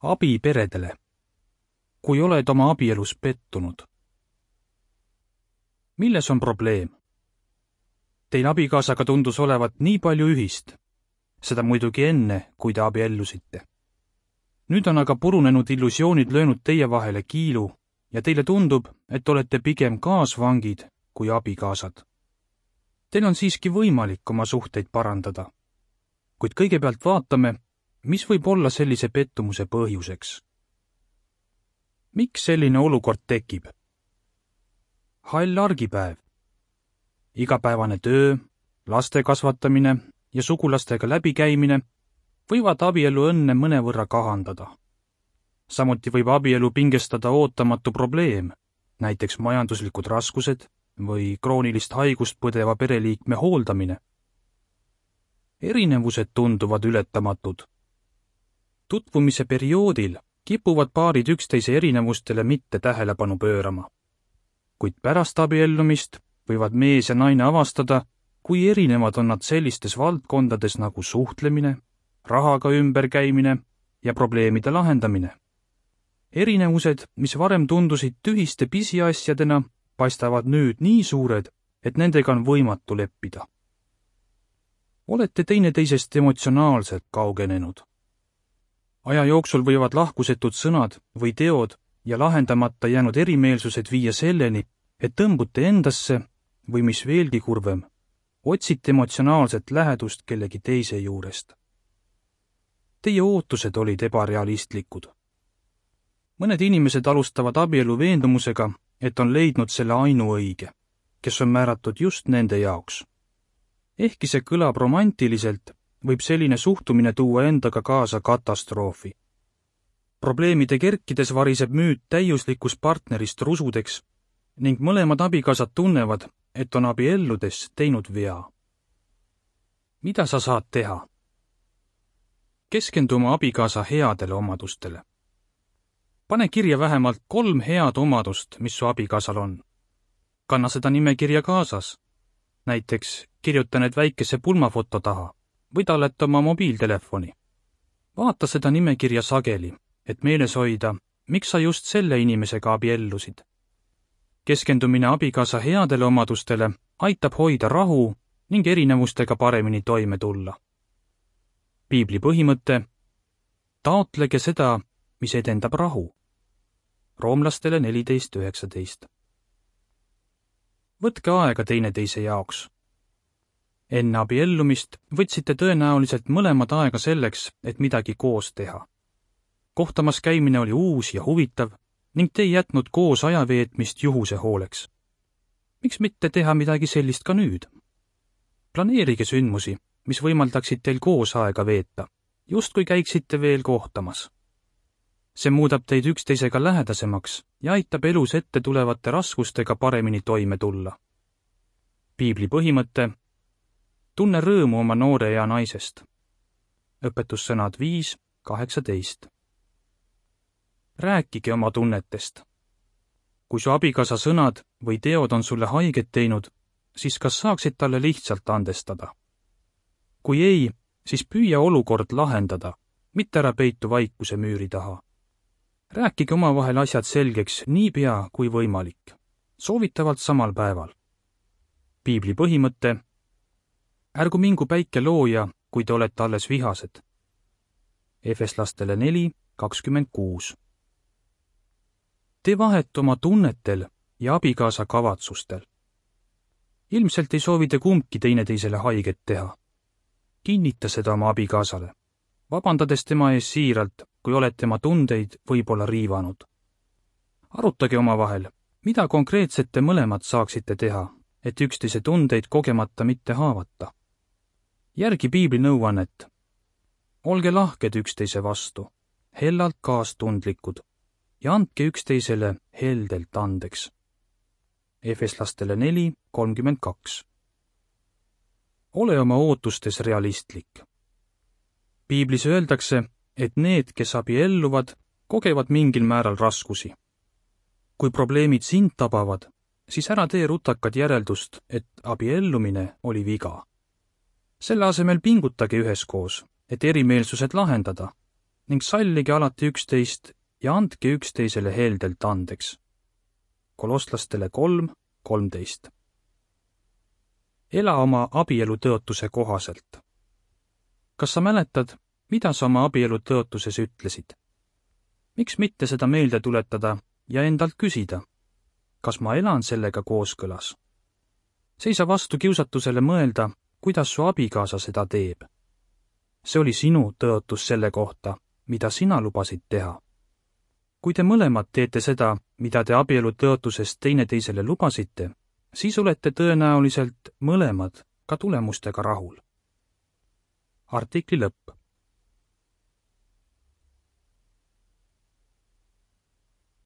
Abi peredele. Kui oled oma abielus pettunud. Milles on probleem? Teil abikaasaga tundus olevat nii palju ühist. Seda muidugi enne, kui te abiellusite. Nüüd on aga purunenud illusioonid löönud teie vahele kiilu ja teile tundub, et olete pigem kaasvangid kui abikaasad. Teil on siiski võimalik oma suhteid parandada. Kuid kõigepealt vaatame, mis võib olla sellise pettumuse põhjuseks. Miks selline olukord tekib? Hall argipäev. Igapäevane töö, laste kasvatamine ja sugulastega läbikäimine võivad abielu õnne mõnevõrra kahandada. Samuti võib abielu pingestada ootamatu probleem, näiteks majanduslikud raskused või kroonilist haigust põdeva pereliikme hooldamine. Erinevused tunduvad ületamatud. Tutvumise perioodil kipuvad paarid üksteise erinevustele mitte tähelepanu pöörama. Kuid pärast abiellumist võivad mees ja naine avastada, kui erinevad on nad sellistes valdkondades nagu suhtlemine, rahaga ümberkäimine ja probleemide lahendamine. Erinevused, mis varem tundusid tühiste pisiasjadena, paistavad nüüd nii suured, et nendega on võimatu leppida. Olete teineteisest emotsionaalselt kaugenenud. Aja jooksul võivad lahkusetud sõnad või teod ja lahendamata jäänud erimeelsused viia selleni, et tõmbute endasse või mis veelgi kurvem, otsite emotsionaalset lähedust kellegi teise juurest. Teie ootused olid ebarealistlikud. Mõned inimesed alustavad abielu veendumusega, et on leidnud selle ainuõige, kes on määratud just nende jaoks. Ehkki see kõlab romantiliselt, võib selline suhtumine tuua endaga kaasa katastroofi. Probleemide kerkides variseb müüt täiuslikust partnerist rusudeks ning mõlemad abikaasad tunnevad, et on abielludes teinud vea. Mida sa saad teha? Keskendu oma abikaasa headele omadustele. Pane kirja vähemalt 3 head omadust, mis su abikaasal on. Kanna seda nimekirja kaasas. Näiteks kirjuta need väikese pulmafoto taha või talleta oma mobiiltelefoni. Vaata seda nimekirja sageli, et meeles hoida, miks sa just selle inimesega abiellusid. Keskendumine abikaasa headele omadustele aitab hoida rahu ning erinevustega paremini toime tulla. Piibli põhimõte: taotlege seda, mis edendab rahu. Roomlastele 14.19. Võtke aega teineteise jaoks. Enne abiellumist võtsite tõenäoliselt mõlemad aega selleks, et midagi koos teha. Kohtamas käimine oli uus ja huvitav ning te ei jätnud koos ajaveetmist juhuse hooleks. Miks mitte teha midagi sellist ka nüüd? Planeerige sündmusi, mis võimaldaksid teil koos aega veeta, just kui käiksite veel kohtamas. See muudab teid üksteisega lähedasemaks ja aitab elus ette tulevate raskustega paremini toime tulla. Piibli põhimõte: tunne rõõmu oma noore ea naisest. Õpetussõnad 5.18. Rääkige oma tunnetest. Kui su abikaasa sõnad või teod on sulle haiget teinud, siis kas saaksid talle lihtsalt andestada? Kui ei, siis püüa olukord lahendada, mitte ära peitu vaikuse müüri taha. Rääkige omavahel asjad selgeks nii pea kui võimalik, soovitavalt samal päeval. Piibli põhimõte: ärgu mingu päike looja, kui te olete alles vihased. Efeslastele 4.26. Tee vahet oma tunnetel ja abikaasa kavatsustel. Ilmselt ei soovi te kumbki teineteisele haiget teha. Kinnita seda oma abikaasale, vabandades tema ees siiralt, kui olete tema tundeid võib-olla riivanud. Arutage omavahel, mida konkreetset te mõlemad saaksite teha, et üksteise tundeid kogemata mitte haavata. Järgi piibli nõuannet. Olge lahked üksteise vastu, hellalt kaastundlikud ja andke üksteisele heldelt andeks. Efeslastele 4.32. Ole oma ootustes realistlik. Piiblis öeldakse, et need, kes abielluvad, kogevad mingil määral raskusi. Kui probleemid sind tabavad, siis ära tee rutakad järeldust, et abiellumine oli viga. Selle asemel pingutage üheskoos, et erimeelsused lahendada. ning sallige alati üksteist ja andke üksteisele heldelt andeks. Kolosslastele 3:13. Ela oma abielu tõotuse kohaselt. Kas sa mäletad, mida sa oma abielu tõotuses ütlesid? Miks mitte seda meelde tuletada ja endalt küsida, kas ma elan sellega kooskõlas? Seisa vastu kiusatusele mõelda, kuidas su abikaasa seda teeb. See oli sinu tõotus selle kohta, mida sina lubasid teha. Kui te mõlemad teete seda, mida te abielu tõotuses teineteisele lubasite, siis olete tõenäoliselt mõlemad ka tulemustega rahul. Artikli lõpp.